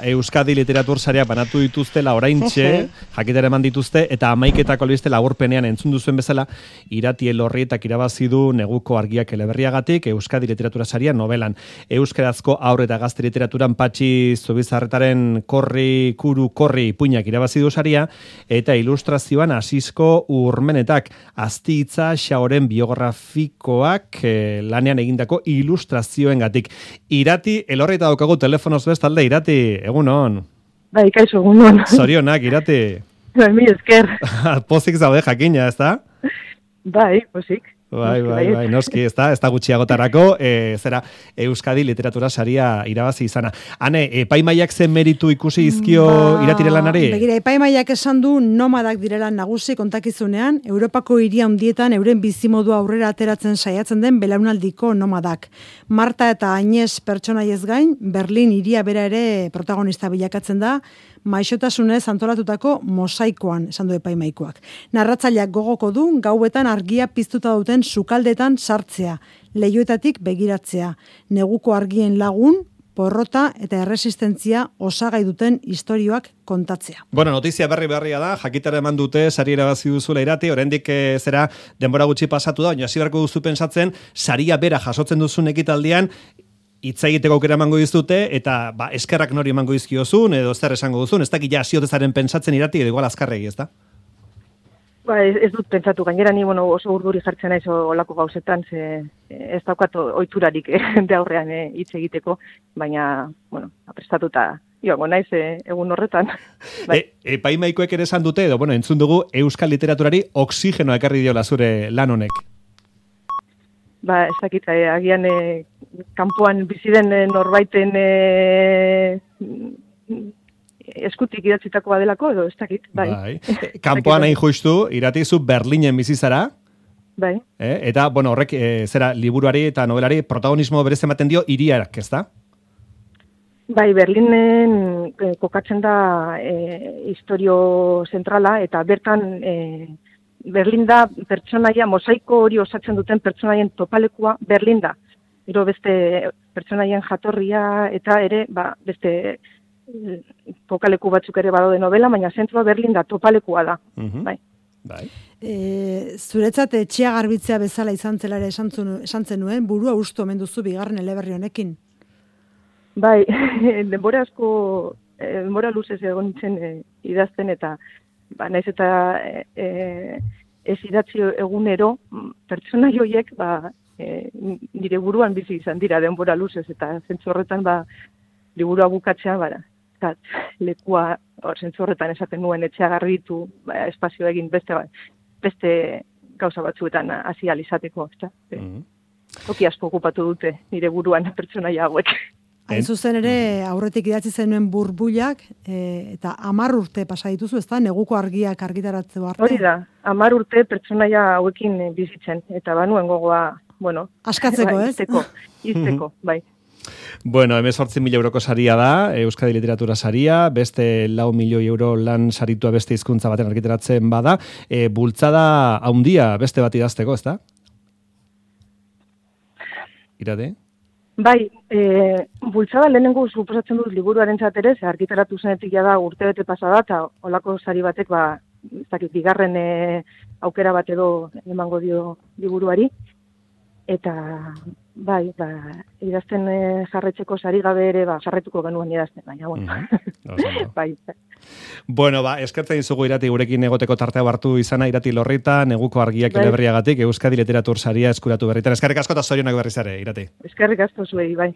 Euskadi Literatur Saria banatu dituztela oraintxe, jakitera eman dituzte, eta 11etako albiste laburpenean entzun duzuen bezala, Irati Elorrietak irabazi du Neguko Argiak eleberriagatik, Euskadi Literatura Saria novelan. Euskarazko haur eta gazte literaturan Patxi Zubizarretaren Korri, Kuru, Korri ipuinak irabazi du saria, eta ilustrazioan Asisko Urmenetak, Azti-hitza Xaoren biografikoak lanean egindako ilustrazioengatik. Irati Elorrieta daukagu telefonoz bestalde, Irati, egunon. Bai, kaixo, egunon. Zorionak, Irati. Bai, mi esker. Pozik zaude jakina, ezta? Bai, pozik. Bai, noski, ez da gutxiagotarako, zera Euskadi Literatura Saria irabazi izana. Hane, epaimaiak zen meritu ikusi izkio Iratire lanari? Begira, epaimaiak esan du nomadak direla nagusi kontakizunean, Europako hiri handietan euren bizimodua aurrera ateratzen saiatzen den belaunaldiko nomadak. Marta eta Añez pertsonaiez gain, Berlin hiria bera ere protagonista bilakatzen da, maixotasunez antolatutako mosaikoan, esan du epaimaikoak. Narratzaileak gogoko du, gauetan argia piztuta duten sukaldetan sartzea, leihoetatik begiratzea, neguko argien lagun, porrota eta erresistentzia osagai duten istorioak kontatzea. Bueno, notizia berria da, jakitara eman dute, sari irabazi duzula Irati, oraindik zera denbora gutxi pasatu da, baina hasi beharko duzu pentsatzen, saria bera jasotzen duzun ekitaldian, hitz egiteko aukera emango dizute, eta eskerrak nori emango dizkiozun, edo zer esango duzun, ez dakit ja ziotezaren pentsatzen Irati, edo igual azkarregi, ez da? Ez dut pentsatu, gainera ni oso urduri jartzen naiz olako gauzetan, ez daukat ohiturarik de aurrean hitz egiteko, baina, prestatuta joango naiz egun horretan. Epaimaikoek ere esan dute, edo, entzun dugu Euskal Literaturari oxigenoa ekarri diola zure lan honek. Ez dakit, agian kanpoan bizi den norbaiten eskutik idatzitako badelako, edo ez dakit, bai. Kanpoan hain justu, Irati zu Berlinen bizi zara. Bai. Eta, horrek, zera, liburuari eta novelari protagonismo berez ematen dio hiriak, ez da? Bai, Berlinen kokatzen da historio zentrala, eta bertan Berlin da pertsonaia, mosaiko hori osatzen duten pertsonaien topalekua Berlin da. Gero beste pertsonaien jatorria eta ere, beste kokaleku batzuk ere badaude novela, baina zentroa Berlin da, topalekua da. Bai. Zuretzat etxea garbitzea bezala izan zela ere esan zenuen, burua ustu omen duzu bigarren eleberri honekin. Bai, denbora luzez egon nintzen idazten eta naiz eta ez idatzi egunero, pertsona joiek nire buruan bizi izan dira denbora luzez, eta zentzu horretan liburua bukatzean, lekua zentzu horretan esaten nuen etxea garbitu, espazio egin beste gauza batzuetan hasi ahal izateko. Toki asko okupatu dute nire buruan pertsonaia hauek. Hain zuzen ere, aurretik idatzi zenuen burbuilak, eta 10 urte pasa dituzu, ez da? Neguko argiak argitaratzeko arte. Hori da, 10 urte pertsonaia hauekin bizitzen, eta banuen gogoa, askatzeko, ez? Izteko, bai. 18.000 euroko saria da, Euskadi Literatura Saria, beste 4 milioi euro lan saritua beste hizkuntza baten argitaratzen bada, bultzada handia beste bat idazteko, ez da? Irate? Bai, bultzada lehenengo suposatzen dut liburuaren ere, argitaratu zenetik da urtebete pasada, eta olako sari batek, bigarren aukera bat edo emango dio liburuari. Eta, idazten jarretzeko sari gabe ere, jarretuko genuen idazten, baina, bai. Eskertzen dizugu Irati gurekin egoteko tartea hartu izana, Irati Elorrieta, Neguko Argiak eleberriagatik, Euskadi Literatur Saria eskuratu berritan. Eskerrik asko eta zorionak berriz ere, Irati. Eskerrik asko zuei, bai.